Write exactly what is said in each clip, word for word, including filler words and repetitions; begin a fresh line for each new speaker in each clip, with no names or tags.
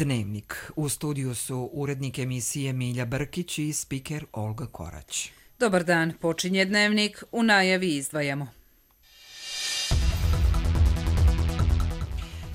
Dnevnik. U studiju su urednik emisije Milja Brkić i spiker Olga Korać.
Dobar dan, počinje Dnevnik, u najavi izdvajamo.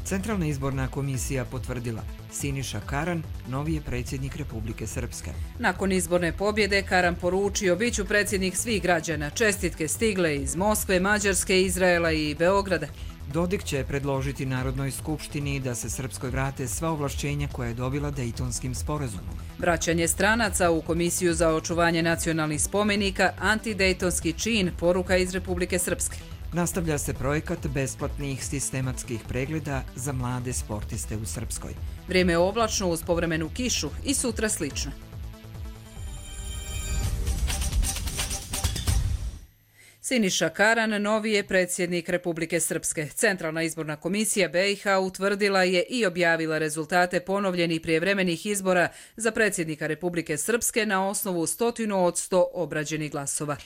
Centralna izborna komisija potvrdila Siniša Karan, novi je predsjednik Republike Srpske.
Nakon izborne pobjede Karan poručio biću predsjednik svih građana. Čestitke stigle iz Moskve, Mađarske, Izraela i Beograda.
Dodik će predložiti Narodnoj skupštini da se Srpskoj vrate sva ovlašćenja koje je dobila Dejtonskim sporazumom.
Vraćanje stranaca u Komisiju za očuvanje nacionalnih spomenika, antidejtonski čin, poruka iz Republike Srpske.
Nastavlja se projekat besplatnih sistematskih pregleda za mlade sportiste u Srpskoj.
Vrijeme je oblačno uz povremenu kišu i sutra slično. Siniša Karan, novi je predsjednik Republike Srpske. Centralna izborna komisija B i H utvrdila je i objavila rezultate ponovljenih prijevremenih izbora za predsjednika Republike Srpske na osnovu stotinu od sto obrađenih glasova.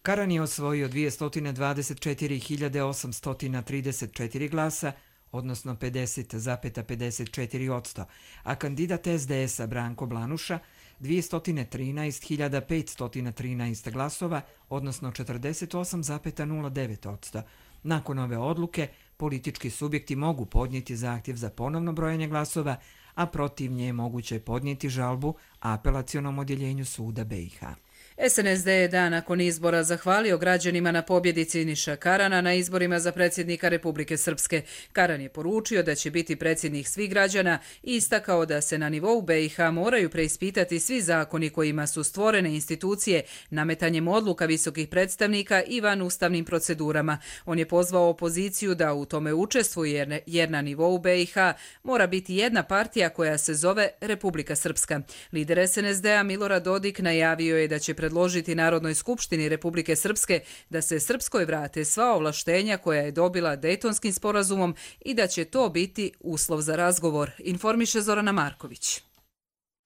Karan je osvojio dvjesto dvadeset četiri hiljade osamsto trideset četiri glasa, odnosno pedeset zarez pedeset četiri posto, a kandidat S D S-a Branko Blanuša dvjesto trinaest hiljada petsto trinaest glasova, odnosno četrdeset osam zarez nula devet posto. Nakon ove odluke, politički subjekti mogu podnijeti zahtjev za ponovno brojanje glasova, a protiv nje moguće podnijeti žalbu apelacionom odjeljenju suda B i H.
S N S D je dan nakon izbora zahvalio građanima na pobjedi Siniša Karana na izborima za predsjednika Republike Srpske. Karan je poručio da će biti predsjednik svih građana i istakao da se na nivou B i H moraju preispitati svi zakoni kojima su stvorene institucije nametanjem odluka visokih predstavnika i van ustavnim procedurama. On je pozvao opoziciju da u tome učestvuje jer na nivou B i H mora biti jedna partija koja se zove Republika Srpska. Lider S N S D-a Milorad Dodik najavio je da će predložiti Narodnoj skupštini Republike Srpske da se Srpskoj vrate sva ovlaštenja koja je dobila Dejtonskim sporazumom i da će to biti uslov za razgovor, informiše Zorana Marković.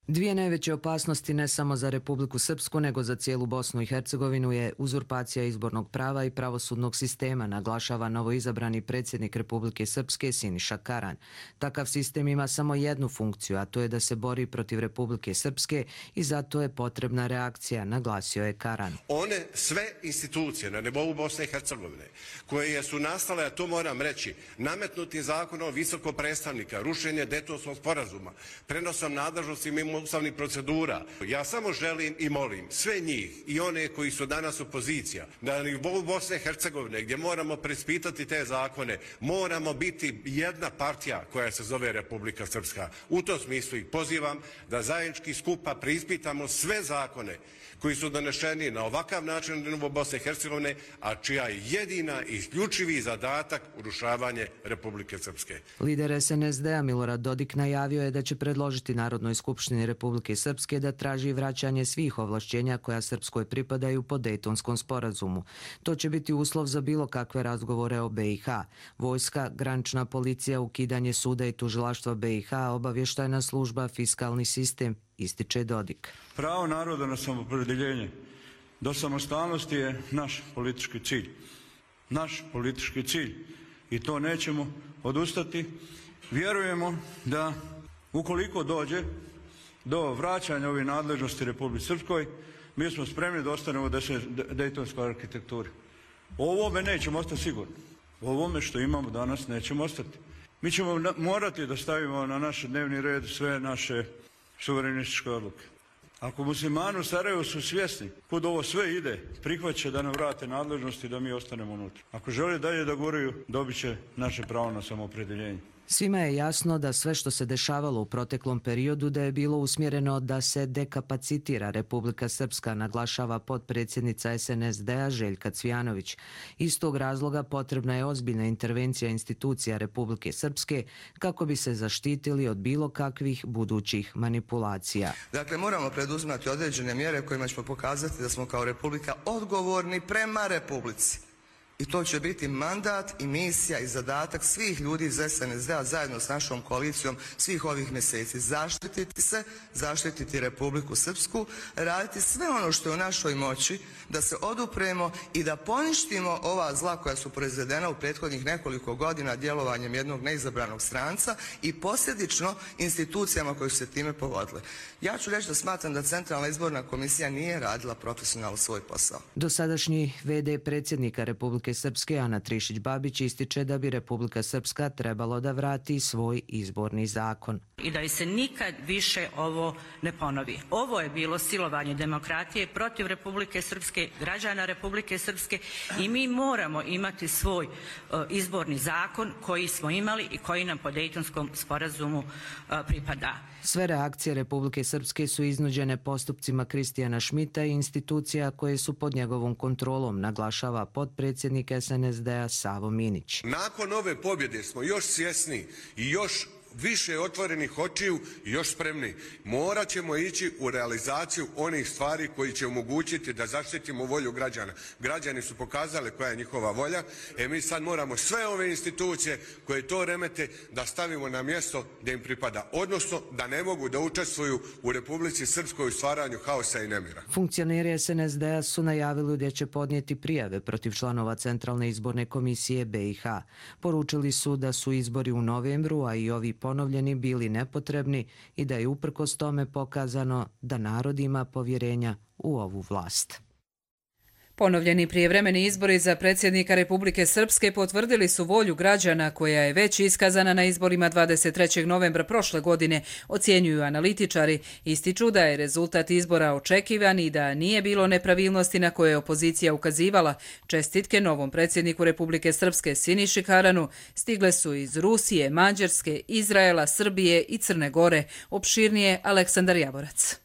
Dvije najveće opasnosti ne samo za Republiku Srpsku, nego za cijelu Bosnu i Hercegovinu je uzurpacija izbornog prava i pravosudnog sistema, naglašava novoizabrani predsjednik Republike Srpske Siniša Karan. Takav sistem ima samo jednu funkciju, a to je da se bori protiv Republike Srpske i zato je potrebna reakcija, naglasio je Karan.
One sve institucije na nivou Bosne i Hercegovine koje su nastale, a to moram reći, nametnuti zakonom visokog predstavnika, rušenje Dejtonskog sporazuma, prenosom nadležnosti mimo ustavnih procedura. Ja samo želim i molim sve njih i one koji su danas opozicija na nivou Bosne i Hercegovine gdje moramo preispitati te zakone, moramo biti jedna partija koja se zove Republika Srpska. U tom smislu ih pozivam da zajednički skupa preispitamo sve zakone koji su donešeni na ovakav način na nivou Bosne i Hercegovine, a čija je jedina i isključivi zadatak urušavanje Republike Srpske.
Lider S N S D-a Milorad Dodik najavio je da će predložiti Narodnoj skupštini Republike Srpske da traži vraćanje svih ovlašćenja koja Srpskoj pripadaju po Dejtonskom sporazumu. To će biti uslov za bilo kakve razgovore o B i H. Vojska, granična policija, ukidanje suda i tužilaštva B i H, obavještajna služba, fiskalni sistem, ističe Dodik.
Pravo naroda na samoopredjeljenje do samostalnosti je naš politički cilj. Naš politički cilj. I to nećemo odustati. Vjerujemo da ukoliko dođe do vraćanja ovih nadležnosti Republike Srpskoj, mi smo spremni da ostanemo u dejtonskoj arhitekturi. O ovome nećemo ostati sigurni. O ovome što imamo danas nećemo ostati. Mi ćemo morati da stavimo na naš dnevni red sve naše suverenističke odluke. Ako muslimani u Sarajevu su svjesni kud ovo sve ide, prihvaće da nam vrate nadležnosti da mi ostanemo unutra. Ako žele dalje da guraju, dobit će naše pravo na samoopredjeljenje.
Svima je jasno da sve što se dešavalo u proteklom periodu da je bilo usmjereno da se dekapacitira Republika Srpska, naglašava potpredsjednica S N S D-a Željka Cvijanović. Iz tog razloga potrebna je ozbiljna intervencija institucija Republike Srpske kako bi se zaštitili od bilo kakvih budućih manipulacija.
Dakle, moramo preduzimati određene mjere kojima ćemo pokazati da smo kao Republika odgovorni prema Republici. I to će biti mandat i misija i zadatak svih ljudi iz S N S D-a zajedno s našom koalicijom svih ovih mjeseci. Zaštititi se, zaštititi Republiku Srpsku, raditi sve ono što je u našoj moći da se odupremo i da poništimo ova zla koja su proizvedena u prethodnih nekoliko godina djelovanjem jednog neizabranog stranca i posljedično institucijama koje su se time povodile. Ja ću reći da smatram da Centralna izborna komisija nije radila profesionalno svoj posao.
Dosadašnji ve de predsjednika Republike Srpske Ana Trišić-Babić ističe da bi Republika Srpska trebalo da vrati svoj izborni zakon.
I da se nikad više ovo ne ponovi. Ovo je bilo silovanje demokratije protiv Republike Srpske, građana Republike Srpske i mi moramo imati svoj uh, izborni zakon koji smo imali i koji nam po Dejtonskom sporazumu uh, pripada.
Sve reakcije Republike Srpske su iznuđene postupcima Kristijana Šmita i institucija koje su pod njegovom kontrolom, naglašava potpredsjednik S N S D-a Savo Minić.
Nakon ove pobjede smo još svjesni i još više otvorenih očiju i još spremni. Morat ćemo ići u realizaciju onih stvari koji će omogućiti da zaštitimo volju građana. Građani su pokazali koja je njihova volja, e mi sad moramo sve ove institucije koje to remete da stavimo na mjesto da im pripada, odnosno da ne mogu da učestvuju u Republici Srpskoj u stvaranju haosa i nemira.
Funkcioneri S N S D-a su najavili da će podnijeti prijave protiv članova Centralne izborne komisije be i ha. Poručili su da su izbori u novembru, a i ovi ponovljeni bili nepotrebni i da je uprkos tome pokazano da narod ima povjerenja u ovu vlast.
Ponovljeni prijevremeni izbori za predsjednika Republike Srpske potvrdili su volju građana koja je već iskazana na izborima dvadeset trećeg novembra prošle godine, ocjenjuju analitičari. Ističu da je rezultat izbora očekivan i da nije bilo nepravilnosti na koje je opozicija ukazivala. Čestitke novom predsjedniku Republike Srpske Siniši Karanu stigle su iz Rusije, Mađarske, Izraela, Srbije i Crne Gore. Opširnije Aleksandar Javorac.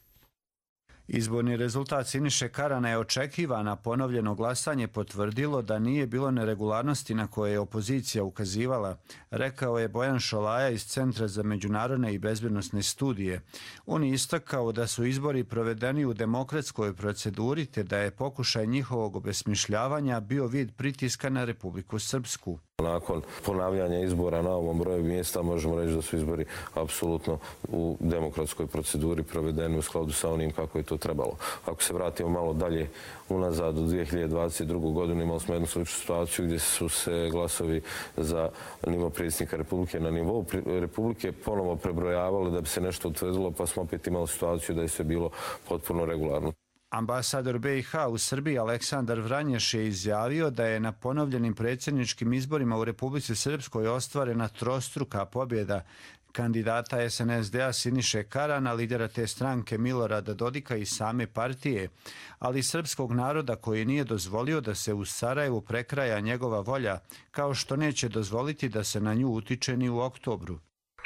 Izborni rezultat Siniše Karana je očekivan, a ponovljeno glasanje potvrdilo da nije bilo neregularnosti na koje je opozicija ukazivala, rekao je Bojan Šolaja iz Centra za međunarodne i bezbjednosne studije. On je istakao da su izbori provedeni u demokratskoj proceduri te da je pokušaj njihovog obesmišljavanja bio vid pritiska na Republiku Srpsku.
Nakon ponavljanja izbora na ovom broju mjesta možemo reći da su izbori apsolutno u demokratskoj proceduri provedeni u skladu sa onim kako je to trebalo. Ako se vratimo malo dalje unazad u dvije hiljade dvadeset drugu. godinu imali smo jednu sličnu situaciju gdje su se glasovi za nivo predsjednika Republike na nivou Republike ponovo prebrojavali da bi se nešto utvrdilo, pa smo opet imali situaciju da je sve bilo potpuno regularno.
Ambasador be i ha u Srbiji Aleksandar Vranješ je izjavio da je na ponovljenim predsjedničkim izborima u Republici Srpskoj ostvarena trostruka pobjeda kandidata S N S D-a Siniše Karana, lidera te stranke Milorada Dodika i same partije, ali srpskog naroda koji nije dozvolio da se u Sarajevu prekraja njegova volja, kao što neće dozvoliti da se na nju utiče ni u oktobru.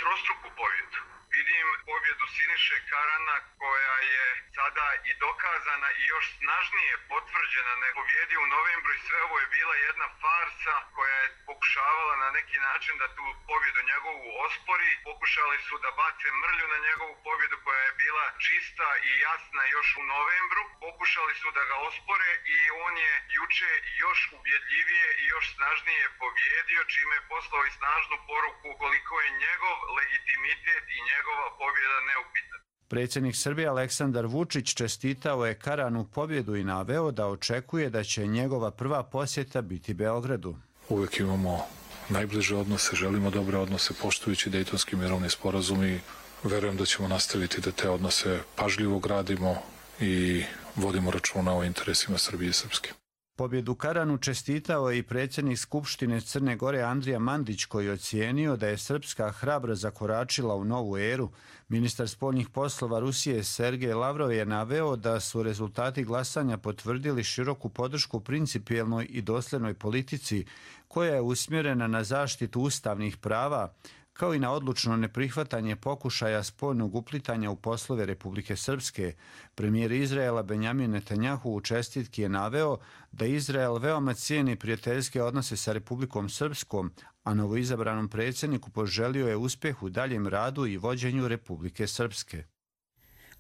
Trostruku pobjedu. Vidim pobjedu Siniše Karana koja je sada i dokazana i još snažnije potvrđena nego pobjedi u novembru i sve ovo je bila jedna farsa koja je pokušavala na neki način da tu pobjedu njegovu ospori. Pokušali su da bace mrlju na njegovu pobjedu koja je bila čista i jasna još u novembru. Pokušali su da ga ospore i on je juče još ubjedljivije i još snažnije pobjedio, čime je poslao i snažnu poruku koliko je njegov legitimitet i njegova pobjeda neupitna.
Predsjednik Srbije Aleksandar Vučić čestitao je Karanu pobjedu i naveo da očekuje da će njegova prva posjeta biti Beogradu.
Uvijek imamo najbliže odnose, želimo dobre odnose, poštujući Dejtonski mirovni sporazum i verujem da ćemo nastaviti da te odnose pažljivo gradimo i vodimo računa o interesima Srbije i Srpske.
Pobjedu Karanu čestitao je i predsjednik Skupštine Crne Gore Andrija Mandić koji je ocijenio da je Srpska hrabro zakoračila u novu eru. Ministar spoljnih poslova Rusije Sergej Lavrov je naveo da su rezultati glasanja potvrdili široku podršku principijelnoj i dosljednoj politici koja je usmjerena na zaštitu ustavnih prava, kao i na odlučno neprihvatanje pokušaja spoljnog uplitanja u poslove Republike Srpske. Premijer Izraela Benjamin Netanjahu u čestitki je naveo da Izrael veoma cijeni prijateljske odnose sa Republikom Srpskom, a novoizabranom predsjedniku poželio je uspjeh u daljem radu i vođenju Republike Srpske.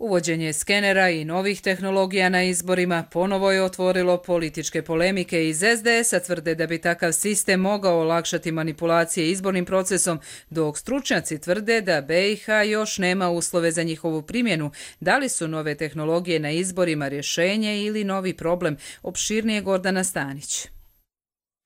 Uvođenje skenera i novih tehnologija na izborima ponovo je otvorilo političke polemike. Iz es de esa tvrde da bi takav sistem mogao olakšati manipulacije izbornim procesom, dok stručnjaci tvrde da be i ha još nema uslove za njihovu primjenu. Da li su nove tehnologije na izborima rješenje ili novi problem? Opširnije Gordana Stanić.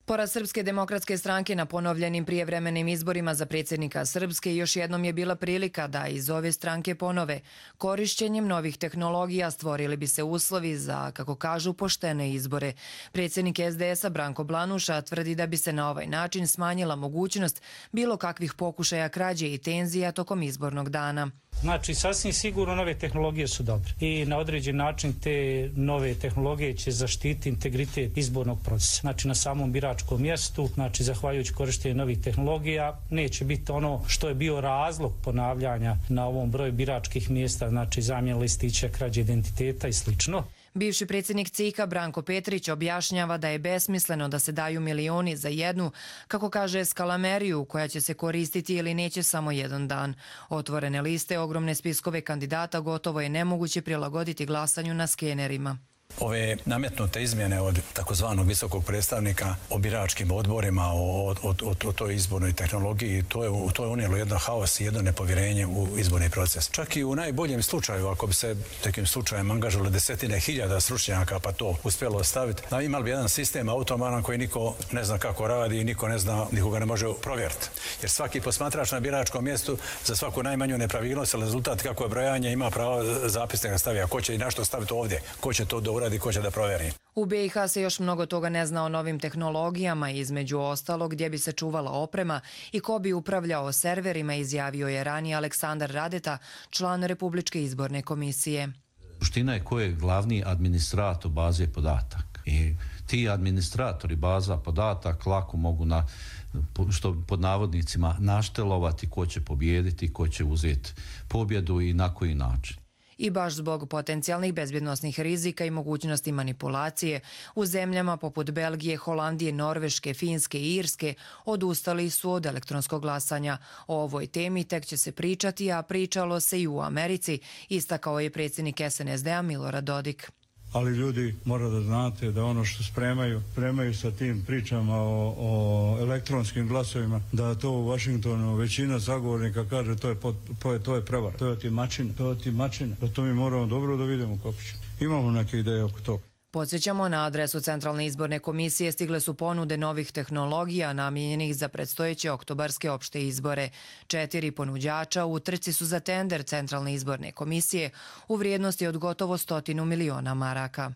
Poraz Srpske demokratske stranke na ponovljenim prijevremenim izborima za predsjednika Srpske još jednom je bila prilika da iz ove stranke ponove. Korišćenjem novih tehnologija stvorili bi se uslovi za, kako kažu, poštene izbore. Predsjednik es de esa Branko Blanuša tvrdi da bi se na ovaj način smanjila mogućnost bilo kakvih pokušaja krađe i tenzija tokom izbornog dana.
Znači, sasvim sigurno nove tehnologije su dobre i na određen način te nove tehnologije će zaštiti integritet izbornog procesa. Znači, na samom biračkom mjestu, znači, zahvaljujući korištenju novih tehnologija, neće biti ono što je bio razlog ponavljanja na ovom broju biračkih mjesta, znači zamjena listića, krađe identiteta i slično.
Bivši predsjednik ce i ka Branko Petrić objašnjava da je besmisleno da se daju milioni za jednu, kako kaže, skalameriju koja će se koristiti ili neće samo jedan dan. Otvorene liste, ogromne spiskove kandidata gotovo je nemoguće prilagoditi glasanju na skenerima.
Ove nametnute izmjene od takozvanog visokog predstavnika o biračkim odborima, o, o, o, o toj izbornoj tehnologiji, to je, to je unijelo jedno haos i jedno nepovjerenje u izborni proces. Čak i u najboljem slučaju, ako bi se takim slučajem angažovali desetine hiljada stručnjaka pa to uspjelo ostaviti, imali bi jedan sistem automaran koji niko ne zna kako radi i niko ne zna, nikoga ne može provjeriti. Jer svaki posmatrač na biračkom mjestu za svaku najmanju nepravilnost ili rezultat kako je brojanje ima pravo zapisnika staviti. Ko će i našto staviti ovdje, ko će to da uradi, ko će da provjeri.
U be i ha se još mnogo toga ne zna o novim tehnologijama, između ostalog gdje bi se čuvala oprema i ko bi upravljao serverima, izjavio je ranije Aleksandar Radeta, član Republičke izborne komisije.
Suština je ko je glavni administrator baze podataka. I ti administratori baza podataka lako mogu na, što pod navodnicima, naštelovati ko će pobijediti, ko će uzeti pobjedu i na koji način.
I baš zbog potencijalnih bezbjednosnih rizika i mogućnosti manipulacije, u zemljama poput Belgije, Holandije, Norveške, Finske i Irske odustali su od elektronskog glasanja. O ovoj temi tek će se pričati, a pričalo se i u Americi, istakao je predsjednik es en es de a Milorad Dodik.
Ali ljudi, mora da znate da ono što spremaju, spremaju sa tim pričama o, o elektronskim glasovima, da to u Washingtonu većina zagovornika kaže to je, pot, to je prevar, to je otimačina, to je otimačina, da to mi moramo dobro da vidimo kako će. Imamo neke ideje oko toga.
Podsjećamo, na adresu Centralne izborne komisije stigle su ponude novih tehnologija namijenjenih za predstojeće oktobarske opšte izbore. Četiri ponuđača u trci su za tender Centralne izborne komisije u vrijednosti od gotovo stotinu miliona maraka.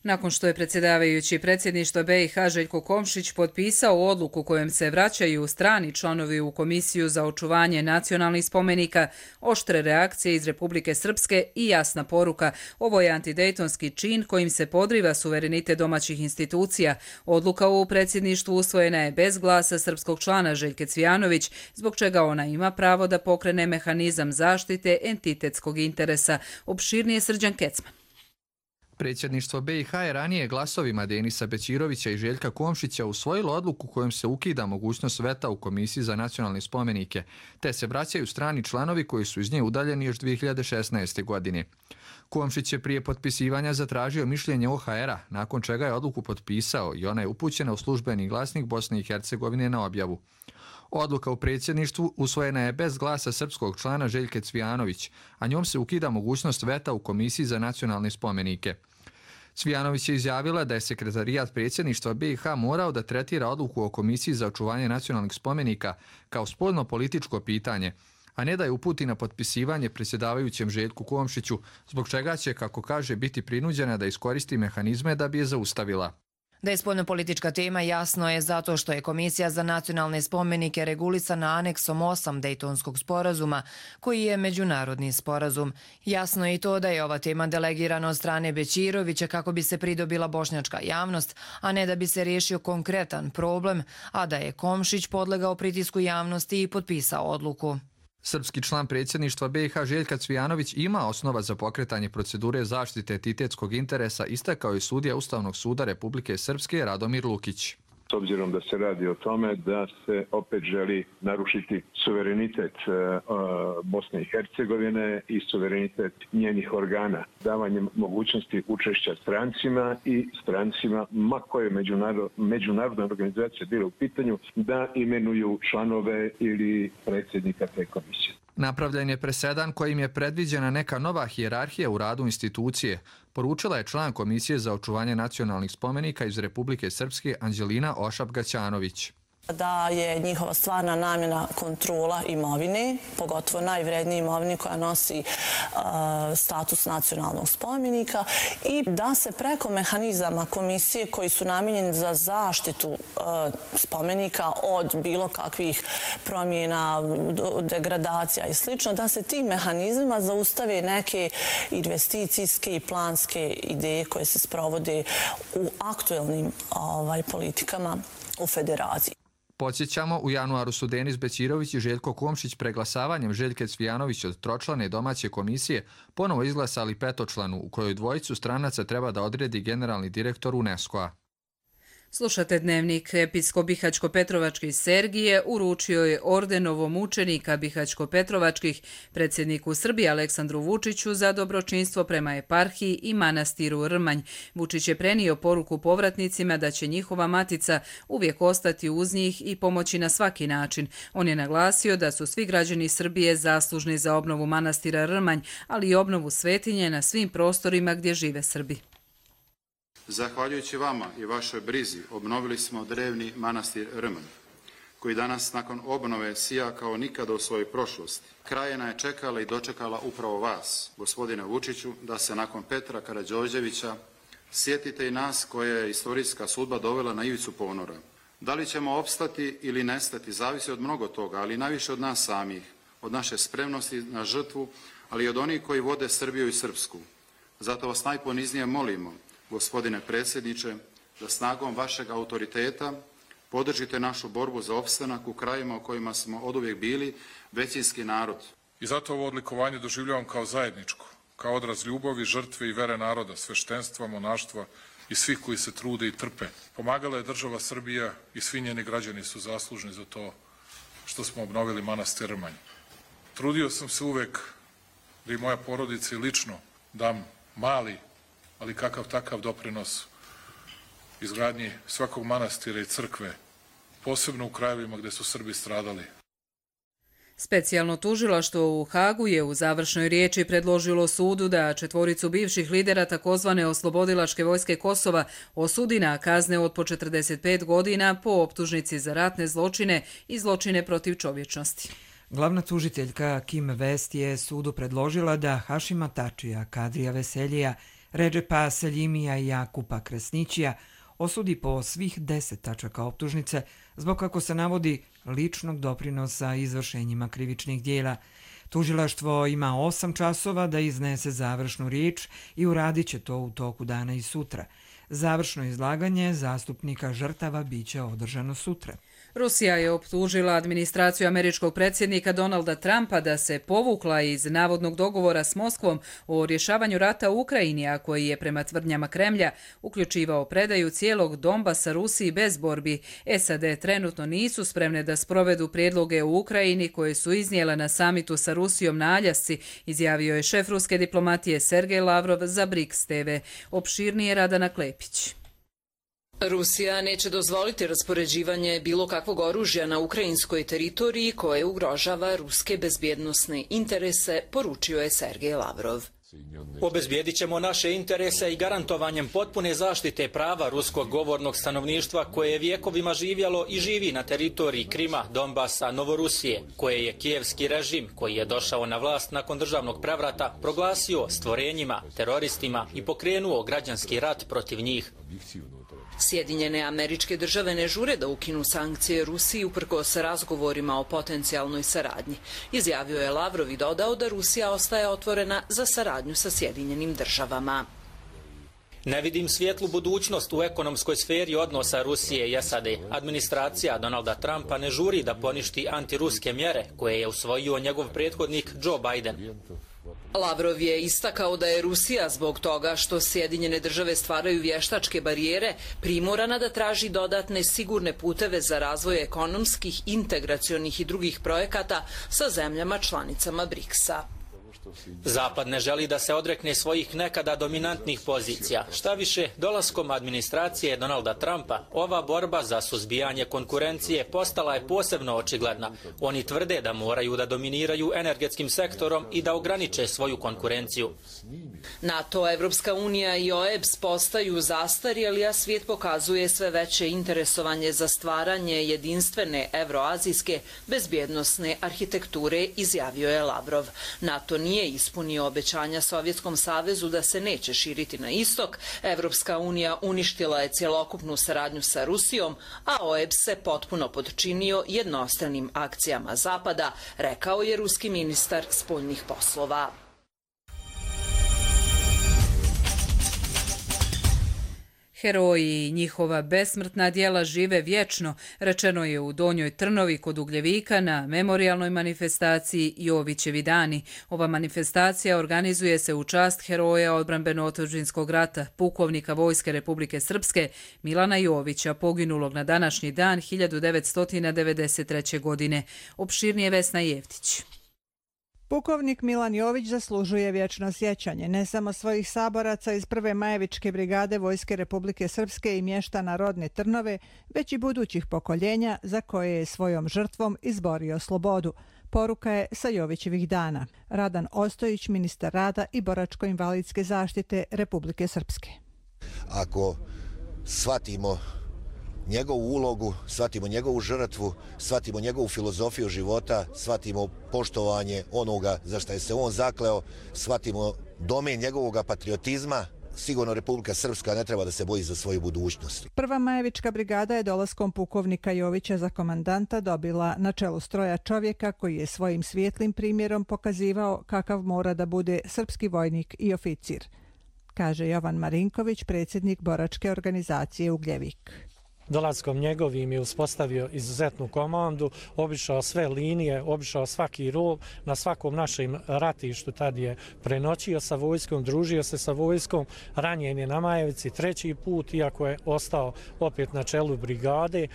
Nakon što je predsjedavajući predsjedništva be i ha Željko Komšić potpisao odluku kojom se vraćaju strani članovi u Komisiju za očuvanje nacionalnih spomenika, oštre reakcije iz Republike Srpske i jasna poruka. Ovo je antidejtonski čin kojim se podriva suverenitet domaćih institucija. Odluka u predsjedništvu usvojena je bez glasa srpskog člana Željke Cvijanović, zbog čega ona ima pravo da pokrene mehanizam zaštite entitetskog interesa. Opširnije Srđan Kecman.
Predsjedništvo be i ha je ranije glasovima Denisa Bećirovića i Željka Komšića usvojilo odluku kojom se ukida mogućnost veta u Komisiji za nacionalne spomenike, te se vraćaju strani članovi koji su iz nje udaljeni još dvije hiljade šesnaeste. godine. Komšić je prije potpisivanja zatražio mišljenje o ha era, nakon čega je odluku potpisao i ona je upućena u službeni glasnik Bosne i Hercegovine na objavu. Odluka u predsjedništvu usvojena je bez glasa srpskog člana Željke Cvijanović, a njom se ukida mogućnost veta u Komisiji za nacionalne spomenike. Cvijanović je izjavila da je sekretarijat predsjedništva be i ha morao da tretira odluku o Komisiji za očuvanje nacionalnih spomenika kao spoljno političko pitanje, a ne da je uputi na potpisivanje predsjedavajućem Željku Komšiću, zbog čega će, kako kaže, biti prinuđena da iskoristi mehanizme da bi je zaustavila.
Da je spoljnopolitička tema jasno je zato što je Komisija za nacionalne spomenike regulisana aneksom osam Dejtonskog sporazuma, koji je međunarodni sporazum. Jasno je i to da je ova tema delegirana od strane Bećirovića kako bi se pridobila bošnjačka javnost, a ne da bi se riješio konkretan problem, a da je Komšić podlegao pritisku javnosti i potpisao odluku.
Srpski član predsjedništva be i ha Željka Cvijanović ima osnova za pokretanje procedure zaštite entitetskog interesa, istakao je sudija Ustavnog suda Republike Srpske Radomir Lukić.
S obzirom da se radi o tome da se opet želi narušiti suverenitet Bosne i Hercegovine i suverenitet njenih organa, davanjem mogućnosti učešća strancima i strancima, ma koje međunarodna organizacija bila u pitanju, da imenuju članove ili predsjednika te komisije.
Napravljen je presedan kojim je predviđena neka nova hijerarhija u radu institucije, poručila je član Komisije za očuvanje nacionalnih spomenika iz Republike Srpske Anđelina Ošap-Gaćanović.
Da je njihova stvarna namjena kontrola imovine, pogotovo najvrednije imovine koja nosi uh, status nacionalnog spomenika, i da se preko mehanizama komisije koji su namijenjeni za zaštitu uh, spomenika od bilo kakvih promjena, degradacija i slično, da se tim mehanizmima zaustave neke investicijske i planske ideje koje se sprovode u aktuelnim ovaj, politikama u federaciji.
Podsjećamo, u januaru su Denis Bećirović i Željko Komšić preglasavanjem Željke Cvijanović od tročlane domaće komisije ponovo izglasali petočlanu, u kojoj dvojicu stranaca treba da odredi generalni direktor UNESCO-a.
Slušate Dnevnik. Episkop Bihaćko-Petrovački Sergije uručio je ordenovo mučenika Bihaćko-Petrovačkih predsjedniku Srbije Aleksandru Vučiću za dobročinstvo prema eparhiji i manastiru Rmanj. Vučić je prenio poruku povratnicima da će njihova matica uvijek ostati uz njih i pomoći na svaki način. On je naglasio da su svi građani Srbije zaslužni za obnovu manastira Rmanj, ali i obnovu svetinje na svim prostorima gdje žive Srbi.
Zahvaljujući vama i vašoj brizi obnovili smo drevni manastir Rmanj, koji danas nakon obnove sija kao nikada u svojoj prošlosti. Krajina je čekala i dočekala upravo vas, gospodine Vučiću, da se nakon Petra Karađorđevića sjetite i nas koje je istorijska sudba dovela na ivicu ponora. Da li ćemo opstati ili nestati zavisi od mnogo toga, ali najviše od nas samih, od naše spremnosti na žrtvu, ali i od onih koji vode Srbiju i Srpsku. Zato vas najponiznije molimo, gospodine predsjedniče, da snagom vašeg autoriteta podržite našu borbu za opstanak u krajima u kojima smo oduvijek bili većinski narod.
I zato ovo odlikovanje doživljavam kao zajedničko, kao odraz ljubavi, žrtve i vere naroda, sveštenstva, monaštva i svih koji se trude i trpe. Pomagala je država Srbija i svi njeni građani su zaslužni za to što smo obnovili manastir Rmanj. Trudio sam se uvek da i moja porodica i lično dam mali, ali kakav takav doprinos izgradnji svakog manastira i crkve, posebno u krajevima gdje su Srbi stradali.
Specijalno tužilaštvo u Hagu je u završnoj riječi predložilo sudu da četvoricu bivših lidera takozvane oslobodilačke vojske Kosova osudi na kazne od po četrdeset pet godina po optužnici za ratne zločine i zločine protiv čovječnosti.
Glavna tužiteljka Kim Vest je sudu predložila da Hašima Tačija, Kadrija Veseljija, Redžepa Seljimija i Jakupa Kresnićija osudi po svih deset tačaka optužnice zbog, kako se navodi, ličnog doprinosa izvršenjima krivičnih dijela. Tužilaštvo ima osam časova da iznese završnu riječ i uradit će to u toku dana i sutra. Završno izlaganje zastupnika žrtava biće održano sutra.
Rusija je optužila administraciju američkog predsjednika Donalda Trumpa da se povukla iz navodnog dogovora s Moskvom o rješavanju rata u Ukrajini, a koji je prema tvrdnjama Kremlja uključivao predaju cijelog Donbasa Rusiji bez borbi. S A D trenutno nisu spremne da sprovedu prijedloge u Ukrajini koje su iznijela na samitu sa Rusijom na Aljasci, izjavio je šef ruske diplomatije Sergej Lavrov za Briks T V. Opširnije Radana Klepić.
Rusija neće dozvoliti raspoređivanje bilo kakvog oružja na ukrajinskoj teritoriji koje ugrožava ruske bezbjednosne interese, poručio je Sergej Lavrov.
Obezbijedit ćemo naše interese i garantovanjem potpune zaštite prava ruskog govornog stanovništva koje je vjekovima živjelo i živi na teritoriji Krima, Donbasa, Novorusije, koje je kijevski režim, koji je došao na vlast nakon državnog prevrata, proglasio stvorenjima, teroristima i pokrenuo građanski rat protiv njih.
Sjedinjene Američke Države ne žure da ukinu sankcije Rusiji uprkos razgovorima o potencijalnoj saradnji. Izjavio je Lavrov i dodao da Rusija ostaje otvorena za saradnju sa Sjedinjenim Državama.
Ne vidim svijetlu budućnost u ekonomskoj sferi odnosa Rusije i S A D. Administracija Donalda Trumpa ne žuri da poništi antiruske mjere koje je usvojio njegov prethodnik Joe Biden.
Lavrov je istakao da je Rusija zbog toga što Sjedinjene države stvaraju vještačke barijere primorana da traži dodatne sigurne puteve za razvoj ekonomskih, integracionih i drugih projekata sa zemljama članicama briksa.
Zapad ne želi da se odrekne svojih nekada dominantnih pozicija. Šta više, dolaskom administracije Donalda Trumpa, ova borba za suzbijanje konkurencije postala je posebno očigledna. Oni tvrde da moraju da dominiraju energetskim sektorom i da ograniče svoju konkurenciju.
NATO, Evropska unija i O E B S postaju zastarjeli, a svijet pokazuje sve veće interesovanje za stvaranje jedinstvene evroazijske bezbjednosne arhitekture, izjavio je Lavrov. NATO nije ispunio obećanja Sovjetskom savezu da se neće širiti na istok, Evropska unija uništila je cjelokupnu saradnju sa Rusijom, a O E B S se potpuno podčinio jednostranim akcijama Zapada, rekao je ruski ministar spoljnih poslova.
Heroji i njihova besmrtna djela žive vječno, rečeno je u Donjoj Trnovi kod Ugljevika na memorijalnoj manifestaciji Jovićevi dani. Ova manifestacija organizuje se u čast heroja odbrambeno-otadžbinskog rata, pukovnika Vojske Republike Srpske Milana Jovića, poginulog na današnji dan hiljadu devetsto devedeset treće. godine. Opširnije Vesna Jevtić.
Pukovnik Milan Jović zaslužuje vječno sjećanje ne samo svojih saboraca iz prve Majevičke brigade Vojske Republike Srpske i mještana rodne Trnove, već i budućih pokoljenja za koje je svojom žrtvom izborio slobodu. Poruka je sa Jovićevih dana. Radan Ostojić, ministar rada i boračko-invalidske zaštite Republike Srpske.
Ako shvatimo njegovu ulogu, shvatimo njegovu žrtvu, shvatimo njegovu filozofiju života, shvatimo poštovanje onoga za što je se on zakleo, shvatimo domen njegovog patriotizma, sigurno Republika Srpska ne treba da se boji za svoju budućnost.
Prva Majevička brigada je dolaskom pukovnika Jovića za komandanta dobila na čelu stroja čovjeka koji je svojim svijetlim primjerom pokazivao kakav mora da bude srpski vojnik i oficir, kaže Jovan Marinković, predsjednik boračke organizacije Ugljevik.
Dolaskom njegovim je uspostavio izuzetnu komandu, obišao sve linije, obišao svaki rov, na svakom našem ratištu tad je prenoćio sa vojskom, družio se sa vojskom, ranjen je na Majevici treći put, iako je ostao opet na čelu brigade.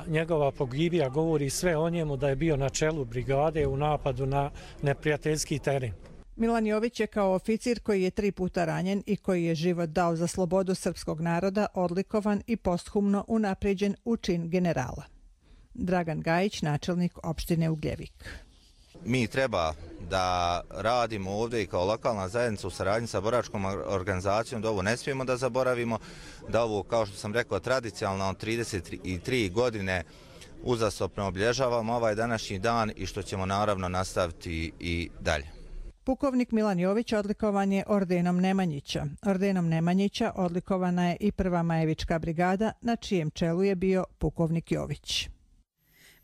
Njegova pogibija govori sve o njemu da je bio na čelu brigade u napadu na neprijateljski teren.
Milan Jović je kao oficir koji je tri puta ranjen i koji je život dao za slobodu srpskog naroda odlikovan i posthumno unapređen u čin generala. Dragan Gajić, načelnik opštine Ugljevik.
Mi treba da radimo ovdje i kao lokalna zajednica u saradnji sa boračkom organizacijom, da ovo ne smijemo da zaboravimo, da ovo, kao što sam rekao, tradicionalno trideset tri godine uzastopno obilježavamo ovaj današnji dan i što ćemo naravno nastaviti i dalje.
Pukovnik Milan Jović odlikovan je ordenom Nemanjića. Ordenom Nemanjića odlikovana je i prva Majevička brigada, na čijem čelu je bio pukovnik Jović.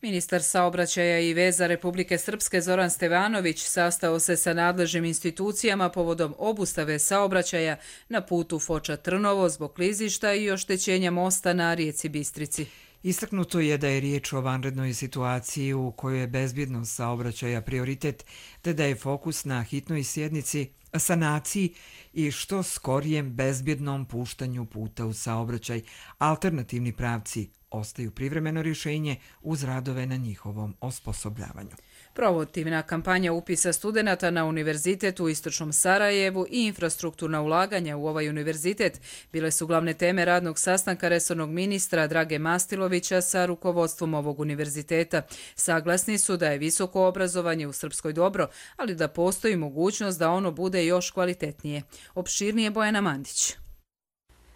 Ministar saobraćaja i veza Republike Srpske Zoran Stevanović sastao se sa nadležnim institucijama povodom obustave saobraćaja na putu Foča-Trnovo zbog klizišta i oštećenja mosta na rijeci Bistrici.
Istaknuto je da je riječ o vanrednoj situaciji u kojoj je bezbjednost saobraćaja prioritet, te da je fokus na hitnoj sjednici, sanaciji i što skorijem bezbjednom puštanju puta u saobraćaj. Alternativni pravci ostaju privremeno rješenje uz radove na njihovom osposobljavanju.
Promotivna kampanja upisa studenata na univerzitet u Istočnom Sarajevu i infrastrukturna ulaganja u ovaj univerzitet bile su glavne teme radnog sastanka resornog ministra Drage Mastilovića sa rukovodstvom ovog univerziteta. Saglasni su da je visoko obrazovanje u Srpskoj dobro, ali da postoji mogućnost da ono bude još kvalitetnije. Opširnije Bojana Mandić.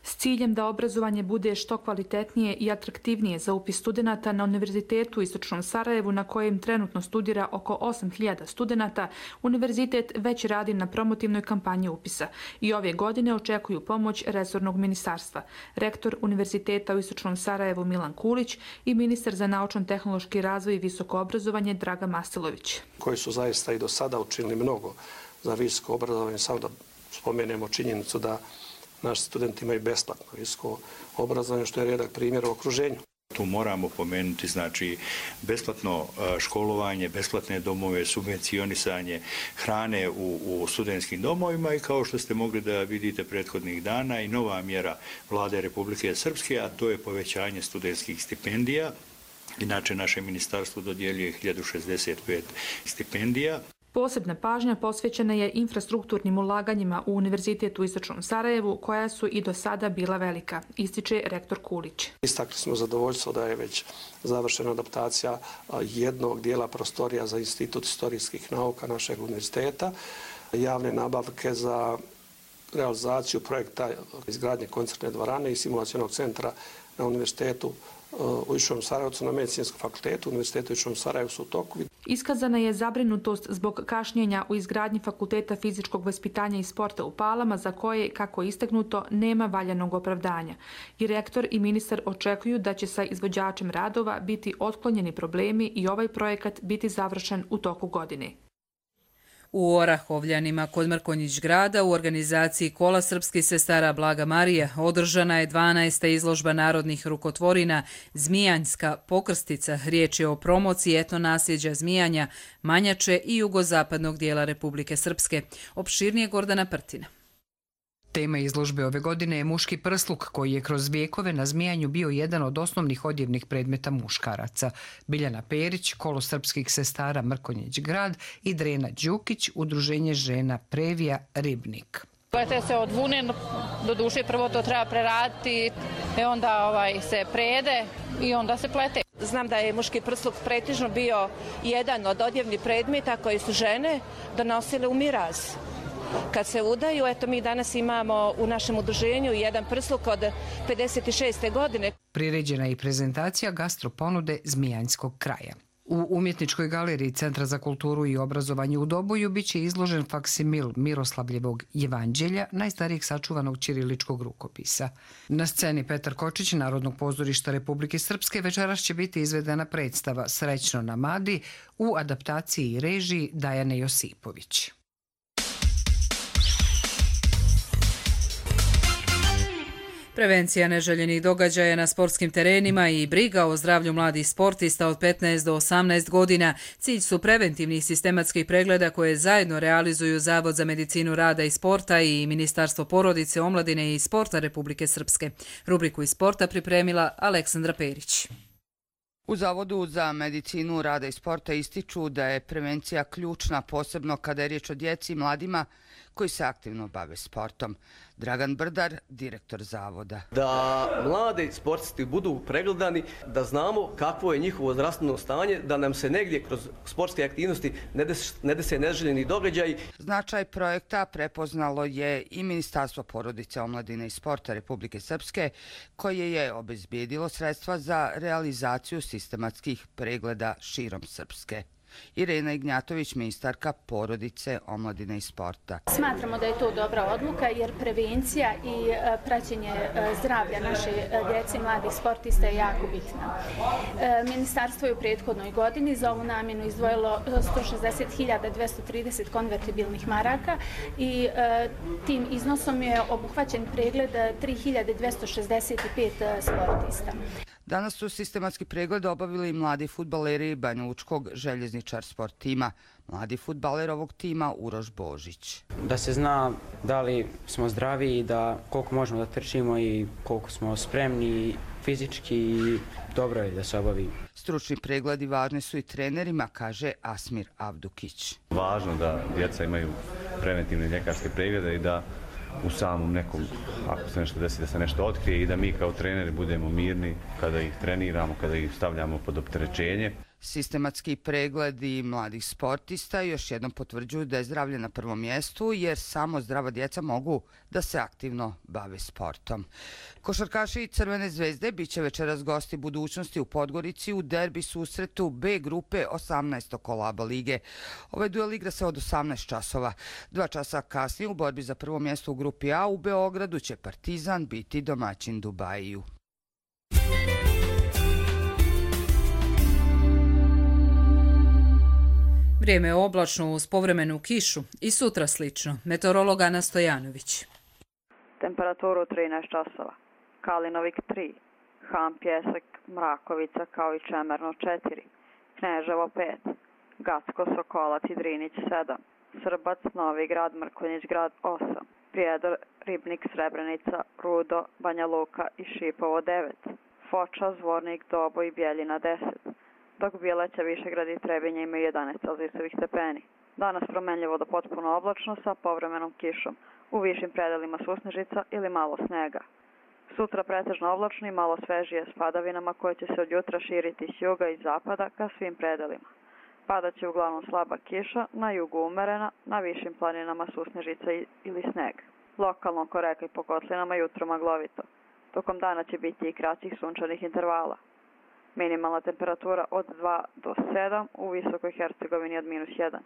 S ciljem da obrazovanje bude što kvalitetnije i atraktivnije za upis studenata na Univerzitetu u Istočnom Sarajevu, na kojem trenutno studira oko osam hiljada studenata, univerzitet već radi na promotivnoj kampanji upisa i ove godine očekuju pomoć resornog ministarstva. Rektor Univerziteta u Istočnom Sarajevu Milan Kulić i ministar za naučno-tehnološki razvoj i visoko obrazovanje Draga Mastilović.
Koji su zaista i do sada učinili mnogo za visoko obrazovanje, samo da spomenemo činjenicu da naši studenti imaju besplatno visoko obrazovanje, što je rijedak primjer u okruženju.
Tu moramo pomenuti znači besplatno školovanje, besplatne domove, subvencionisanje hrane u, u studentskim domovima i kao što ste mogli da vidite prethodnih dana i nova mjera Vlade Republike Srpske, a to je povećanje studentskih stipendija. Inače, naše ministarstvo dodjeljuje hiljadu šezdeset pet stipendija.
Posebna pažnja posvećena je infrastrukturnim ulaganjima u Univerzitetu u Istočnom Sarajevu, koja su i do sada bila velika, ističe rektor Kulić.
Istakli smo zadovoljstvo da je već završena adaptacija jednog dijela prostorija za Institut istorijskih nauka našeg univerziteta, javne nabavke za realizaciju projekta izgradnje koncertne dvorane i simulacionog centra na univerzitetu u Istočnom Sarajevcu, na Medicinskom fakultetu, Univerzitetu u Istočnom Sarajevu su u toku.
Iskazana je zabrinutost zbog kašnjenja u izgradnji Fakulteta fizičkog vaspitanja i sporta u Palama, za koje, kako je istaknuto, nema valjanog opravdanja. I rektor i ministar očekuju da će sa izvođačem radova biti otklonjeni problemi i ovaj projekat biti završen u toku godine.
U Orahovljanima kod Mrkonjić grada u organizaciji Kola srpskih sestara Blaga Marija održana je dvanaesta izložba narodnih rukotvorina Zmijanjska pokrstica. Riječ je o promociji etno nasljeđa Zmijanja, Manjače i jugozapadnog dijela Republike Srpske. Opširnije Gordana Prtina.
Tema izložbe ove godine je muški prsluk, koji je kroz vijekove na Zmijanju bio jedan od osnovnih odjevnih predmeta muškaraca. Biljana Perić, Kolo srpskih sestara Mrkonjić grad i Drena Đukić, Udruženje žena Previja Ribnik.
Plete se od vune, do duše prvo to treba preraditi, i onda ovaj, se prede i onda se plete.
Znam da je muški prsluk pretežno bio jedan od odjevnih predmeta koji su žene donosile u miraz. Kad se udaju, eto mi danas imamo u našem udruženju jedan prsluk od pedeset šeste godine.
Priređena je i prezentacija gastroponude Zmijanjskog kraja. U umjetničkoj galeriji Centra za kulturu i obrazovanje u Doboju biće izložen faksimil Miroslavljevog Evanđelja, najstarijeg sačuvanog ćiriličkog rukopisa. Na sceni Petar Kočić, Narodnog pozorišta Republike Srpske, večeras će biti izvedena predstava Srećno na Madi u adaptaciji i režiji Dajane Josipović.
Prevencija neželjenih događaja na sportskim terenima i briga o zdravlju mladih sportista od petnaest do osamnaest godina cilj su preventivnih sistematskih pregleda koje zajedno realizuju Zavod za medicinu rada i sporta i Ministarstvo porodice, omladine i sporta Republike Srpske. Rubriku iz sporta pripremila Aleksandra Perić.
U Zavodu za medicinu rada i sporta ističu da je prevencija ključna, posebno kada je riječ o djeci i mladima koji se aktivno bave sportom. Dragan Brdar, direktor Zavoda.
Da mladi sportisti budu pregledani, da znamo kakvo je njihovo zdravstveno stanje, da nam se negdje kroz sportske aktivnosti ne dese neželjeni događaj.
Značaj projekta prepoznalo je i Ministarstvo porodice, omladine i sporta Republike Srpske, koje je obezbijedilo sredstva za realizaciju sistematskih pregleda širom Srpske. Irena Ignjatović, ministarka porodice, omladine i sporta.
Smatramo da je to dobra odluka jer prevencija i praćenje zdravlja naše djece i mladih sportista je jako bitna. Ministarstvo je u prethodnoj godini za ovu namjenu izdvojilo sto šezdeset hiljada dvjesto trideset konvertibilnih maraka i tim iznosom je obuhvaćen pregled tri hiljade dvjesto šezdeset pet sportista.
Danas su sistematski pregled obavili mladi fudbaleri Banjalučkog željezničar sport tima. Mladi fudbaler ovog tima Uroš Božić.
Da se zna da li smo zdravi i da koliko možemo da trčimo i koliko smo spremni fizički i dobro je da se obavi.
Stručni pregledi važni su i trenerima, kaže Asmir Avdukić.
Važno da djeca imaju preventivne ljekarske preglede i da u samom nekom, ako se nešto desi, da se nešto otkrije i da mi kao treneri budemo mirni kada ih treniramo, kada ih stavljamo pod opterećenje.
Sistematski pregledi mladih sportista još jednom potvrđuju da je zdravlje na prvom mjestu, jer samo zdrava djeca mogu da se aktivno bave sportom. Košarkaši Crvene zvezde bit će večeras gosti budućnosti u Podgorici u derbi susretu B grupe osamnaestog kola ABA lige. Ovaj duel igra se od osamnaest časova. Dva časa kasnije u borbi za prvo mjesto u grupi A u Beogradu će Partizan biti domaćin Dubajiju.
Vrijeme je oblačno uz povremenu kišu i sutra slično. Meteorolog Ana Stojanović.
Temperaturu trinaest časova. Kalinovik tri,
Han Pjesak, Mrakovica kao i Čemerno četiri, Kneževo pet, Gacko, Sokolac i Drinić sedam, Srbac, Novi Grad, Mrkonjić Grad osam, Prijedor, Ribnik, Srebrenica, Rudo, Banja Luka i Šipovo devet, Foča, Zvornik, Dobo i Bjeljina deset, dok Bileća, Višegrad i Trebinje imaju jedanaest celzijusovih stepeni. Danas promenljivo do potpuno oblačno sa povremenom kišom, u višim predelima susnežica ili malo snega. Sutra pretežno oblačno i malo svežije s padavinama koje će se od jutra širiti s juga i zapada ka svim predelima. Padaće uglavnom slaba kiša, na jugu umerena, na višim planinama susnežica ili sneg. Lokalno oko reka i po kotlinama jutro maglovito. Tokom dana će biti i kraćih sunčanih intervala. Minimalna temperatura od dva do sedam, u Visokoj Hercegovini od minus jedan.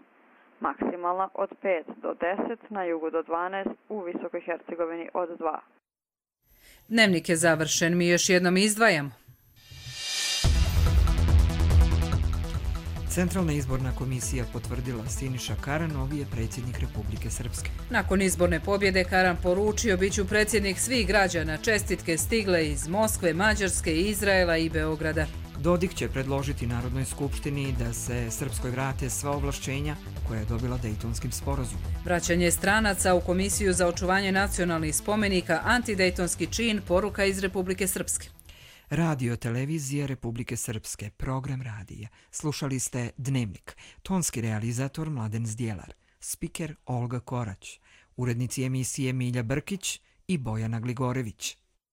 Maksimalna od pet do deset, na jugu do dvanaest, u Visokoj Hercegovini od dva.
Dnevnik je završen, mi još jednom izdvajamo.
Centralna izborna komisija potvrdila Siniša Karan, novi je predsjednik Republike Srpske.
Nakon izborne pobjede Karan poručio biću predsjednik svih građana. Čestitke stigle iz Moskve, Mađarske, Izraela i Beograda.
Dodik će predložiti Narodnoj skupštini da se Srpskoj vrate sva ovlašćenja koja je dobila Dejtonskim sporazumom.
Vraćanje stranaca u Komisiju za očuvanje nacionalnih spomenika, antidejtonski čin, poruka iz Republike Srpske.
Radio televizija Republike Srpske, program radija. Slušali ste Dnevnik. Tonski realizator Mladen Zdjelar. Spiker Olga Korać. Urednici emisije Milja Brkić i Bojana Gligorević.